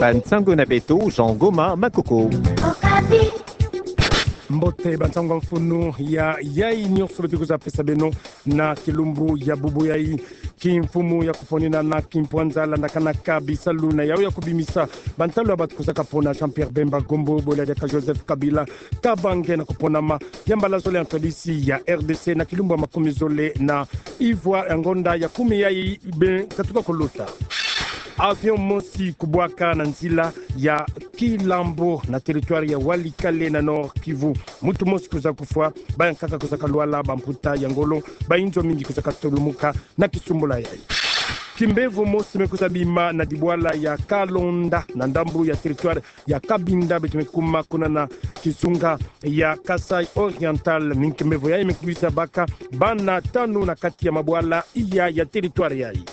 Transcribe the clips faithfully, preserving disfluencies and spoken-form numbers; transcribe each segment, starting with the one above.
Bansango na beto, Jean Goma Makoko. Okapi. Mbote, bansango ya mfunu ya yayi nyonso beto kwiza pesa beno na kilumbu ya bubu yayi. Kimfumu ya kuponina na kimpwanza landakanaka bisalu na yawu ya kubimisa bantalu ya bato kwizaka pona Jean-Pierre Bemba Gombo, bolele diaka Joseph Kabila Kabange, na kuponama ya mbala zole ya ntwadisi ya R D C na kilumbu ya makumi zole na ivwa ya ngonda ya kumi yayi me katuka kuluta. Avion mosi kubwaka na nzila ya Kilambo na territoire ya Walikale na Nord-Kivu. Muntu mosi kwiza kufwa, bayankaka kwizaka lwala, bamputa ya ngolo, bayinzo mingi kwizaka tulumuka na kisumbula yayi. Kimbevo mosi me kwiza bima na dibwala ya Kalonda na ndambu ya territoire ya Cabinda, beto me kuma kuna na kizunga ya Kasaï Oriental. Mingi kimbevo yayi me kwiza baka bana tanu na kati ya mabwala iya ya territoire yayi.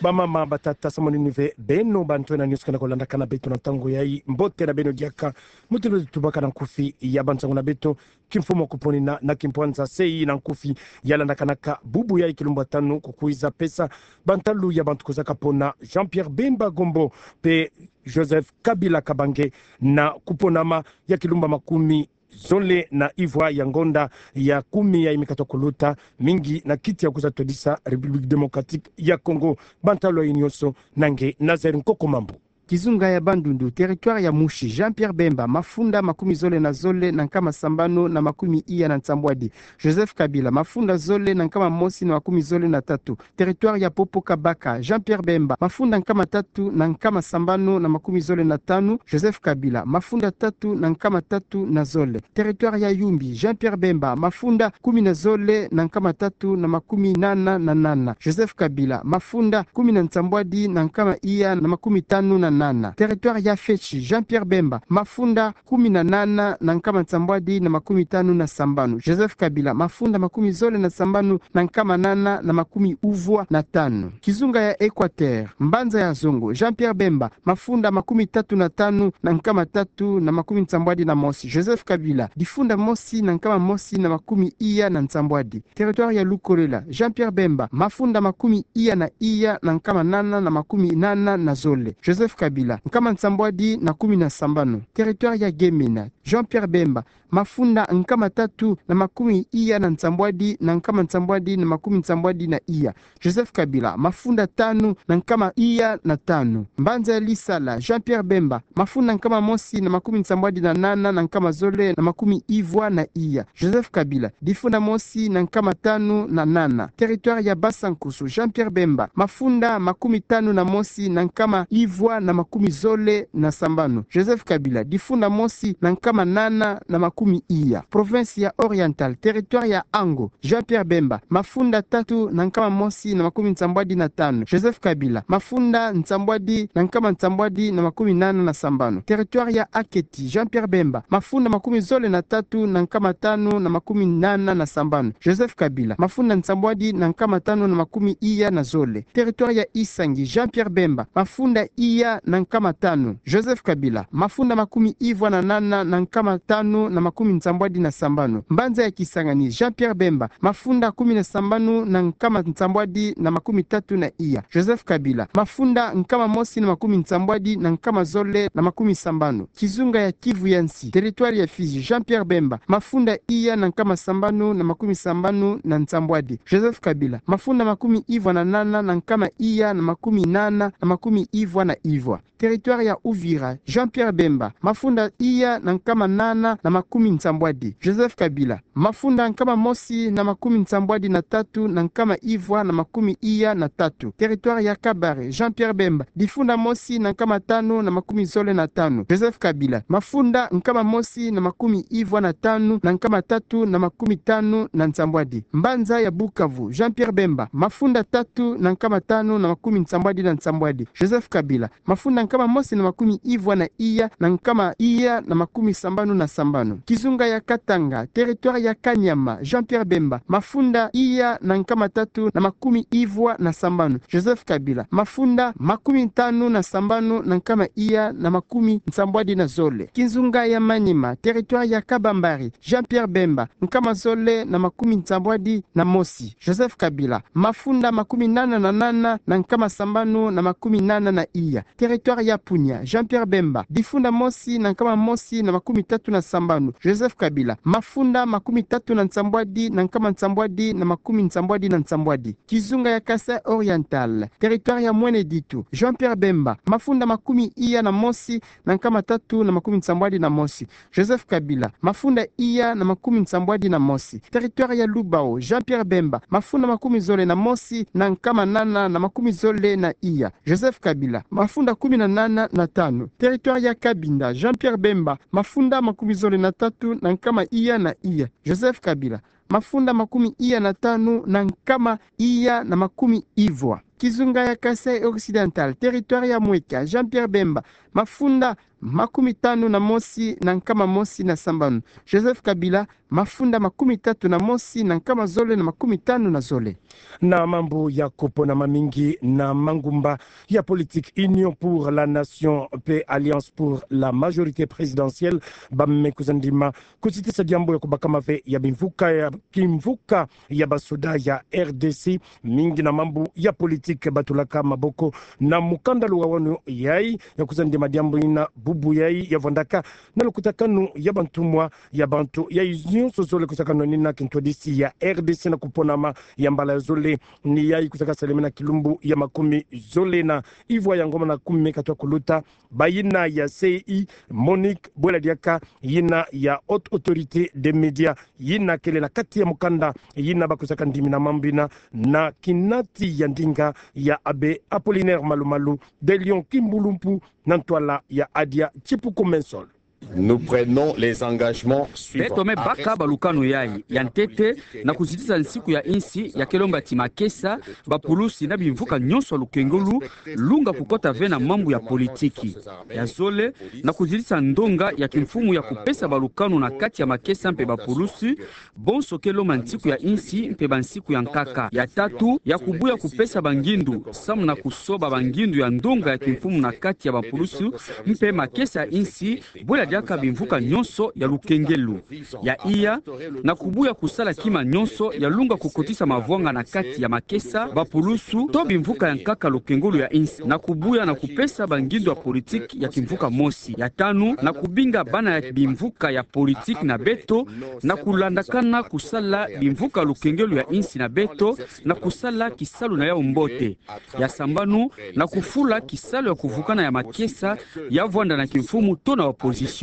Bamama, batata, samu nini ve beno bantwenia nyonso ke na kulandakana beto na ntangu yayi? Mbote na beno diaka. Mutindu tubaka na nkufi ya bansango na beto, kimfumu ya kuponina na kimpwanza C I na nkufi ya landakanaka bubu yayi kilumbu ya tanu, kukwiza pesa bantalu ya bantu kwizaka pona Jean-Pierre Bemba Gombo mpe Joseph Kabila Kabange na kuponama ya kilumbu ya makumi zole na ivwa ya ngonda ya kumi yayi me katuka kuluta, mingi na kiti ya kwiza twadisa République Démocratique ya Congo. Bantalu yayi nyonso, na nge Nazaire Nkoko Mambu. Kizunga ya Bandundu, territoire ya Mouchy, Jean-Pierre Bemba, mafunda makumi zole na zole na nkama sambanu na makumi iya na nsambwadi. Joseph Kabila, mafunda zole na nkama mosi na makumi zole na tatu. Territoire ya Popo-Kabaka, Jean-Pierre Bemba, mafunda nkama tatu na nkama sambanu na makumi zole na tanu. Joseph Kabila, mafunda tatu na nkama tatu na zole. Territoire ya Yumbi, Jean-Pierre Bemba, mafunda kumi na zole na nkama tatu na makumi nana na nana. Joseph Kabila, mafunda kumi na nsambwadi na nkama iya na makumi tanu na nana. Territoire ya Fetshi, Jean-Pierre Bemba, mafunda kumi na nana na nkama nsambwadi na makumi tanu na sambanu. Joseph Kabila, mafunda makumi zole na sambanu na nkama nana na makumi uvwa na tanu. Kizunga ya Équateur, mbanza ya Zongo, Jean-Pierre Bemba, mafunda makumi tatu na tanu na nkama tatu na makumi nsambwadi na mosi. Joseph Kabila, difunda mosi na nkama mosi na makumi iya na nsambwadi. Territoire ya Lukolela, Jean-Pierre Bemba, mafunda makumi iya na iya na nkama nana na makumi nana na zole. Joseph Kabila, nkama nsambwadi na kumi na sambanu. Territoire ya Gemena, Jean-Pierre Bemba, mafunda nkama tatu na makumi iya na nsambwadi na nkama nsambwadi na makumi nsambwadi na iya. Joseph Kabila, mafunda tanu na nkama iya na tanu. Mbanza ya Lisala, Jean-Pierre Bemba, mafunda nkama mosi na makumi nsambwadi na nana na nkama zole na makumi ivwa na iya. Joseph Kabila, difunda mosi na nkama tanu na nana. Territoire ya Bas-Sankoussou, Jean-Pierre Bemba, mafunda makumi tanu na mosi na nkama ivwa na makumi zole na sambanu. Joseph Kabila, difunda mosi na nkama nana na makumi iya. Province ya Oriental, territoire ya Ango, Jean-Pierre Bemba, mafunda tatu na nkama mosi na makumi nsambwadi na tanu. Joseph Kabila, mafunda nsambwadi na nkama nsambwadi na makumi nana na sambanu. Territoire ya Aketi, Jean-Pierre Bemba, mafunda makumi zole na tatu na nkama tanu na makumi nana na sambanu. Joseph Kabila, mafunda nsambwadi na nkama tanu na makumi iya na zole. Territoire ya Isangi, Jean-Pierre Bemba, mafunda iya na nkama tanu. Joseph Kabila, mafunda makumi ivwa na nana na nkama tanu na makumi nsambwadi na sambanu. Mbanza ya Kisangani, Jean-Pierre Bemba, mafunda kumi na sambanu na nkama nsambwadi na makumi tatu na iya. Joseph Kabila, mafunda nkama mosi na makumi nsambwadi na nkama zole na makumi sambanu. Kizunga ya Kivu ya nsi, territoire ya Fizi, Jean-Pierre Bemba, mafunda iya na nkama sambanu na makumi sambanu na nsambwadi. Joseph Kabila, mafunda makumi ivwa na nana na nkama iya na makumi nana na makumi ivwa na ivwa. Territoire ya Uvira, Jean-Pierre Bemba, mafunda iya na nkama nana na makumi nsambwadi. Joseph Kabila, mafunda nkama mosi na makumi nsambwadi na tatu na nkama ivwa na makumi iya na tatu. Territoire ya Kabare, Jean-Pierre Bemba, difunda mosi na nkama tanu na makumi zole na tanu. Joseph Kabila, mafunda nkama mosi na makumi ivwa na tanu na nkama tatu na makumi tanu na nsambwadi. Mbanza ya Bukavu, Jean-Pierre Bemba, mafunda tatu na nkama tanu na makumi nsambwadi na nsambwadi. Joseph Kabila, mafunda nkama mosi na makumi ivwa na iya na nkama iya na makumi sambanu na sambanu. Kizunga ya Katanga, territoire ya Kaniama, Jean-Pierre Bemba, mafunda iya na nkama tatu na makumi ivwa na sambanu. Joseph Kabila, mafunda makumi tanu na sambanu na nkama iya na makumi nsambwadi na zole. Kizunga ya Maniema, territoire ya Kabambari, Jean-Pierre Bemba, nkama zole na makumi nsambwadi na mosi. Joseph Kabila, mafunda makumi nana na nana na nkama sambanu na makumi nana na iya. Territoire ya Punia, Jean-Pierre Bemba, difunda mosi na nkama mosi na makumi tatu na sambanu. Joseph Kabila, mafunda makumi tatu na nsambwadi na nkama nsambwadi na makumi nsambwadi na nsambwadi. Kizunga ya Kasai Oriental, territoire ya Mwene Ditu, Jean-Pierre Bemba, mafunda makumi iya na mosi na nkama tatu na makumi nsambwadi na mosi. Joseph Kabila, mafunda iya na makumi nsambwadi na mosi. Territoire ya Lubao, Jean-Pierre Bemba, mafunda makumi zole na mosi na nkama nana na makumi zole na iya. Joseph Kabila, mafunda kumi na nana na tanu. Territoire ya Cabinda, Jean-Pierre Bemba, mafunda makumi zole na tatu na nkama iya na iya. Joseph Kabila, mafunda makumi iya na tanu na nkama iya na makumi ivwa. Kizunga ya Kasai Occidental, territoire ya Mweka, Jean-Pierre Bemba, mafunda makumi tanu na mosi na nkama mosi na sambanu. Joseph Kabila, mafunda makumi tatu na mosi na nkama zole na makumi tanu na zole. Na mambu ya kupona mamingi na mangumba ya politique, Union pour la Nation pe Alliance pour la Majorité Présidentielle, bamekuza ndima kuzitisa diambu ya kubakama ve ya bimvuka ya kimvuka ya basoda ya R D C, mingi na mambu ya politique batulaka maboko na mukanda luwawanu yayi, ya kuza ndima diambu yina bubu yayi ya vwandaka na lukutakanu ya bantumwa ya bantu yayi nyonso zole kusakana nina kintwadisi ya R D C na kuponama ya mbala ya zole ni yayi kusaka salama na kilumbu ya makumi zole na ivwa ya ngoma na kumi katwa kuluta, bayina ya C I, Monique, bwela diaka yina ya Haute Autorité des Médias, yina kele na kati ya mukanda yina bakusaka ndimi na mambu yina na kinati ya ndinga ya Abbé Apollinaire Malu Malu de Lyon Kimbulumpu na ntwala ya Adia Chipuku Mensol. Nous prenons les engagements suivants. Beto me baka balukanu yayi. Ya ntete, na kuzitisa nsiku ya insi ya kelomba ti makesa, bapulusi na bimvuka nyonso ya lukengolo lunga kukota ve na mambu ya politiki. Ya zole, na kuzitisa ndonga ya kimfumu ya kupesa balukanu na kati ya makesa mpe bapulusi, bonso kelomba nsiku ya insi mpe bansiku ya nkaka. Ya tatu, ya kubuya kupesa bangindu samu na kusoba bangindu ya ndonga ya kimfumu na kati ya bapulusu mpe makesa ya insi, bwela diaka bimvuka nyonso ya lukengolo. Ya iya, na kubuya kusala kima nyonso ya lunga kukotisa mavwanga na kati ya makesa, bapulusu to bimvuka ya nkaka lukengolo ya insi, na kubuya na kupesa bangindu ya politiki ya kimvuka mosi. Ya tanu, na kubinga bana ya bimvuka ya politiki na beto na kulandakana kusala bimvuka lukengelo ya insi na beto na kusala kisalu na yau mbote. Ya sambanu, na kufula kisalu ya kuvukana ya makesa ya vwanda na kimfumu to na opposition,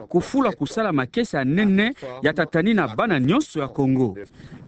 kufula kusala makesa ya nene ya tatani na bana nyonso ya Kongo.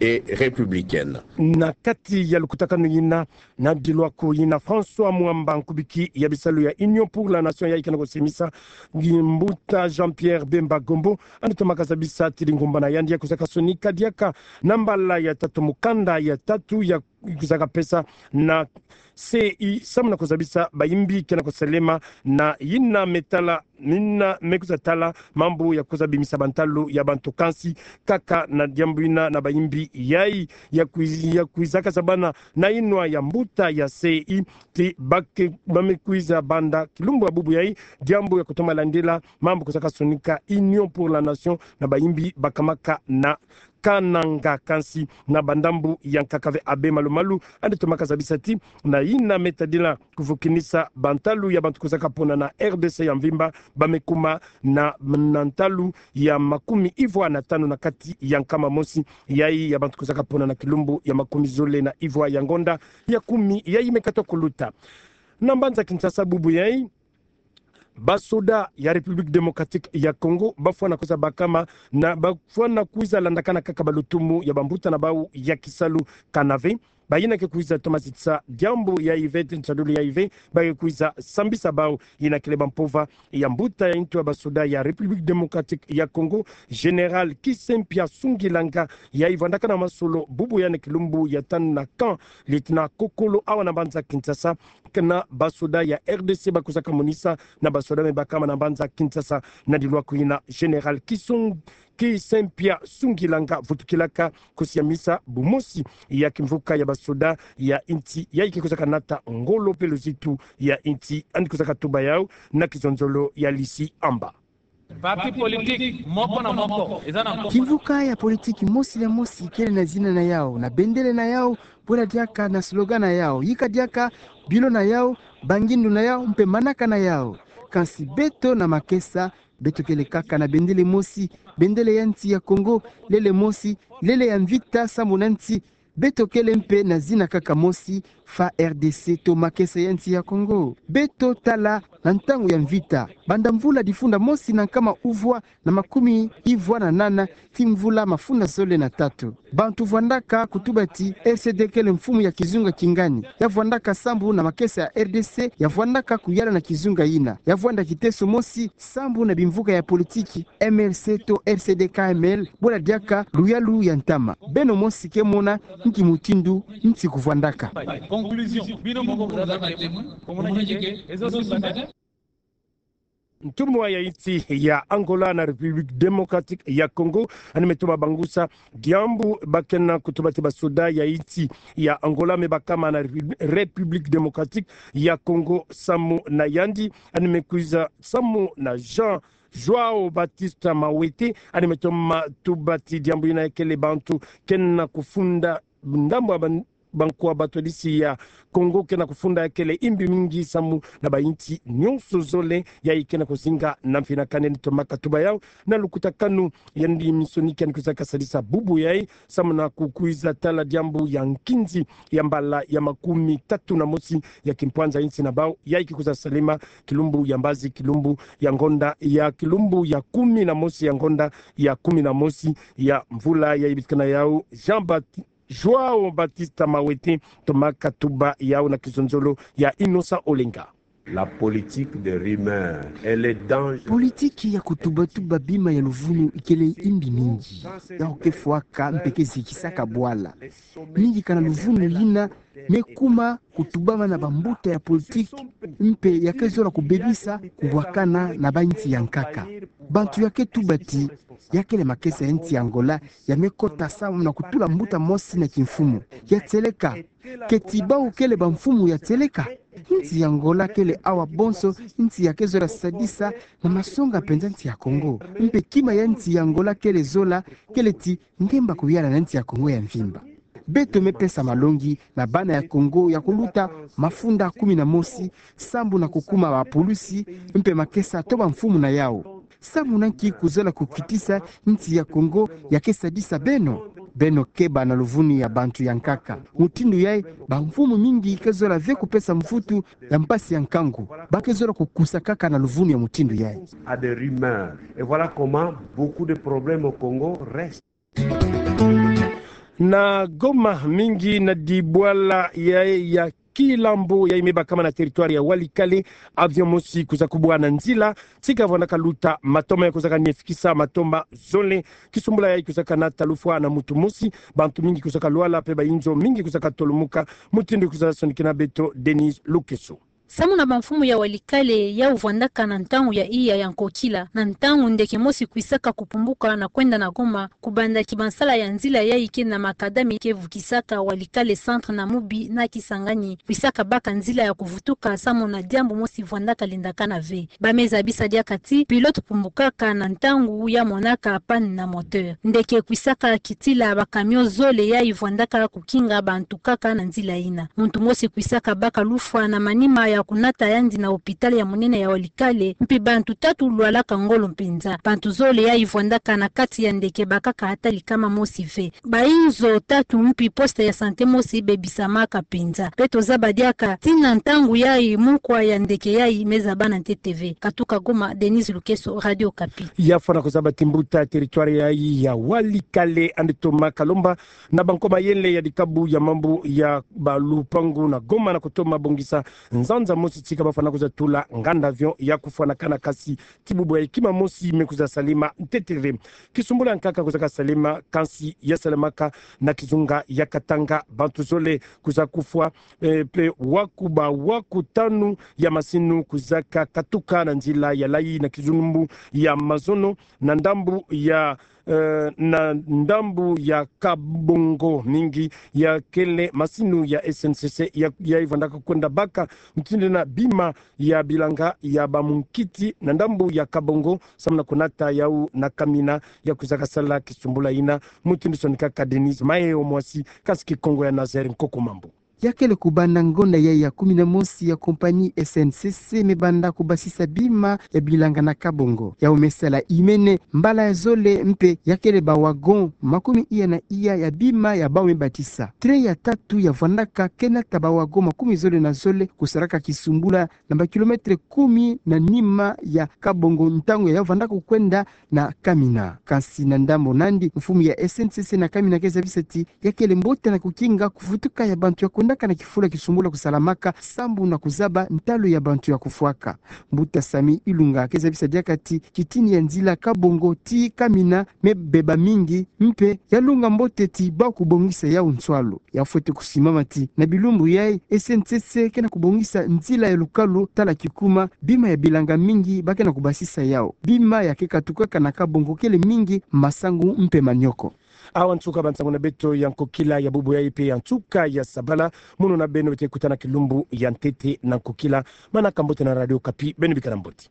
Et républicaine. Na kati ya lukutakanu yina, na dilwaku yina, François Mwamba, nkubiki ya bisalu ya Union pour la Nation, yayi ke na kusimisa ngi mbuta Jean-Pierre Bemba Gombo, yandi tomaka zabisa ti ngumbana yandi ya kuzaka sonika diaka na mbala ya tatu mukanda ya tatu ya kuzaka pesa na C I samu na kuzabisa bayimbi ke na kusalama na yina me tala, yina me kuza tala mambu ya kuza bimisa bantalu ya bantu, kansi kaka na diambu yina na bayimbi yayi ya kwiz-, ya kwizaka zabana na yinwa ya mbuta ya C I ti ba ke, ba me kwiza banda kilumbu ya bubu yayi, diambu ya kutoma landila mambu kuzaka sonika Union pour la Nation na bayimbi bakamaka na Kananga, kansi na bandambu ya nkaka ve Abbé Malu Malu, yandi tomaka zabisa ti na yina me tadila kuvukinisa bantalu ya bantu kuzaka pona na R D C ya mvimba, ba me kuma na, na ntalu ya makumi ivwa na tanu na kati ya nkama mosi yayi ya bantu kuzaka pona na kilumbu ya makumi zole na ivwa ya ngonda ya kumi yayi me kata kuluta. Na mbanza Kinshasa bubu yayi, basoda ya République Démocratique ya Congo bafwana kwiza bakama na bafwana kwiza landakana kaka balutumu ya bambuta na bau ya kisalu kanave. Bayina ke kwiza toma sitisa diambu yayi ve, nsadulu yayi ve, ba ke kwiza sambisa bau, yina kele ba mpova ya mbuta ya ntu ya basoda ya République Démocratique ya Congo, Général Kisempia Sungilanga, yayi vwandaka na masolo bubu yayi na kilumbu ya tanu na camp Lieutenant Kokolo awa na mbanza Kinshasa, kana basoda ya R D C bakwizaka monisa na basoda me bakama na mbanza Kinshasa. Na diluaku yina, Général Kisung-, Kisempia Sungilanga vutukilaka kusiamisa bumosi ya kimvuka ya basoda ya nti yayi ke kwizaka nata ngolo pe luzitu ya nti. Yandi kwizaka tuba yau na kizonzolo ya Lisi Amba. Parti politique moko na moko eza na nkombo. Kimvuka ya politiki mosi na mosi kele na zina na yau, na bendele na yau, bwela diaka na slogan na yau, yika diaka bilo na yau, bangindu na yau, mpe manaka na yau. Kansi beto na makesa, beto kele kaka na bendele mosi, bendele ya nti ya Congo, lele mosi, lele ya mvita sambu na nti. Beto kele mpe na zina kaka mosi, fa R D C to makesa ya nti ya Congo. Beto tala na ntangu ya mvita, banda mvula difunda mosi na nkama uvwa na makumi ivwa na nana, ti mvula mafunda zole na tatu. Bantu vwandaka kutuba ti R C D kele mfumu ya kizunga kingani. Ya vwandaka sambu na makesa ya R D C, ya vwandaka kuyala na kizunga yina. Ya vwanda kiteso mosi sambu na bimvuka ya politiki M L C to R C D K M L, bwela diaka luyalu ya ntama. Beno mosi ke mona nki mutindu nti kuvwandaka. Conclusion, bino moko vous êtes témoin, vous montrez que les autres sont. Ntumwa ya nti ya Angola na République Démocratique ya Congo, yandi me toma bangusa diambu ba kena kutuba ti basoda ya nti ya Angola me bakama na Répu-, République Démocratique ya Congo. Samu na yandi, yandi me kwiza samu na Jean João Batista Mawete, yandi me toma tuba ti diambu yina kele bantu kena kufunda ndambu ya ban-, bankwa batwadisi ya Congo kena kufunda kele imbi mingi samu na ba nti nyonso zole, yayi kena kuzinga na mfinakani. Yandi tomaka tuba yau na lukutakanu ya yandi mission ke yandi kwizaka sadisa bubu yayi, samu na kukwiza tala diambu ya nkinzi ya mbala ya makumi tatu na mosi ya kimpwanza nti na bau, yayi ke kwiza salema kilumbu ya mbazi, kilumbu ya ngonda, ya kilumbu ya kumi na mosi ya ngonda ya kumi na mosi ya mvula yayi bitikana yau. Jean Bat-, João Batista Mawete tomaka tuba yau na kizonzolo ya Innocent Olenga. La politique de rumeur, elle est dangereuse. Politiki ya kutubatuba bima ya luvunu ikele imbi mingi. Yau ke fwaka mpe ke zikisaka bwala. Mingi kana luvunu yina me kuma kutubama na bambuta ya politiki, mpe ya ke zola kubebisa kubwakana na ba nti ya nkaka. Bantu ya ke tuba ti ya kele makesa ya nti ya Angola ya me kota samu na kutula mbuta mosi na kimfumu. Ya tieleka, keti bau kele bamfumu ya tieleka? Nti ya Angola kele awa bonso nti ya ke zola sadisa na masonga mpenza nti ya Congo. Mpe kima ya nti ya Angola kele zola, kele ti ngemba kuyala na nti ya Congo ya mvimba. Beto me pesa malongi na bana ya Congo ya kuluta mafunda kumi na mosi, sambu na kukuma bapulusi, mpe makesa to bamfumu na yau. Samu na nki kuzola kukitisa nti ya Congo ya ke sadisa beno? Beno keba na luvunu ya bantu ya nkaka. Mutindu yayi, bamfumu mingi ke zola ve kupesa mvutu ya mpasi ya nkangu. Ba ke zola kukusa kaka na luvunu ya mutindu yayi. À des rumeurs. Et voilà comment beaucoup de problèmes au Congo restent. Na Goma, mingi na dibwala ya, ya kilambo yayi me bakama na territoire ya Walikale, avion mosi kwiza kubwa na nzila, tika vwandaka luta, matomba ya kwizaka nifikisa matomba zole. Kisumbula yayi kwizaka nata lufwa na mutu mosi, bantu mingi kwizaka lwala mpe bayinzo mingi kwizaka tolumuka. Mutindu kwiza sonikina beto Denise Lukeso. Samu na bamfumu ya Walikale yau vwandaka na ntangu ya iya ya nkokila, na ntangu ndeke mosi kwisaka kupumbuka na kwenda na Goma, kubanda kibansala ya nzila yayi ke na macadam ke vukisaka Walikale centre na Mubi na Kisangani, kwisaka baka nzila ya kuvutuka samu na diambu mosi vwandaka lendakana ve. Ba me zabisa diaka ti pilote pumbukaka na ntangu ya monaka panne na moteur. Ndeke kwisaka kitila bacamion zole yayi vwandaka kukinga bantu kaka na nzila yina. Muntu mosi kwisaka baka lufwa na manima ya bakunata yandi na hôpital ya monene ya Walikale, mpi bantu tatu lwalaka ngolo mpenza. Bantu zole yayi vwandaka na kati ya ndeke bakaka ata likama mosi ve. Bayinzo tatu mpi poste ya santé mosi bebisamaka mpenza. Beto zaba diaka tii na ntangu yayi mukwa ya ndeke yayi mezaba na ntete ve. Katuka Goma, Denise Lukeso, Radio Okapi. Ya fwana kuzaba ti mbuta territoire yayi ya Walikale yandi toma kalomba na banko mayele ya dikabu ya mambu ya balupangu na Goma na kutoma bongisa nzanza mosi tika bafwana kuza tula nganda avion ya kufwanakana, kasi ti bubu yayi kima mosi me kuza salema ntete ve. Kisumbula nkaka kuzaka salema, kansi ya salemaka na kizunga ya Katanga, bantu zole kuza kufwa, eh, mpe waku ba waku tanu ya masinu kuzaka katuka na nzila ya layi na kizunumbu ya mazono na ndambu ya, eh, na ndambu ya Kabongo. Mingi ya kele masinu ya S N C C ya, yayi vwandaka kwenda baka mutindu na bima ya bilanga ya bamunkiti na ndambu ya Kabongo, samu na kunata yawu na Kamina, ya kuzaka sala kisumbula yina. Mutindu sonika ka Denise Maeo Mwasi, kasi Kikongo ya Nazaire Nkoko Mambu. Ya kele kubanda ngonda yayi ya kumi na mosi ya compagnie S N C C me banda kubasisa bima ya bilanga na Kabongo. Yawu me sala imene mbala ya zole, mpe ya kele ba wagon makumi iya na iya ya bima ya bawu me batisa. Train ya tatu ya vwandaka ke nata ba wagon makumi zole na zole kusalaka kisumbula na ba kilomètre kumi na nima ya Kabongo, ntangu ya vwandaka kwenda na Kamina. Kansi na ndambu nandi, mfumu ya S N C C na Kamina ke zabisa ti ya kele mbote na kukinga kuvutuka ya bantu ya kwendaka na kifulu ya kisumbula kusalamaka, sambu na kuzaba ntalu ya bantu ya kufwaka. Mbuta Sami Ilunga ke zabisa diaka ti kitini ya nzila Kabongo tii Kamina me beba mingi, mpe ya lunga mbote ti ba kubongisa yawu nswalu. Ya fwete kusimama ti na bilumbu yayi, S N C C ke na kubongisa nzila ya lukalu tala kikuma, bima ya bilanga mingi ba ke na kubasisa yawu. Bima ya ke katukaka na Kabongo kele mingi masangu mpe manioko. Awa nsuka ba nsangu na beto ya nkokila ya bubu yayi mpe ya nsuka ya sabala. Mono na beno bete kutana kilumbu ya ntete na nkokila. Manaka mbote na Radio Okapi, beno bikana mbote.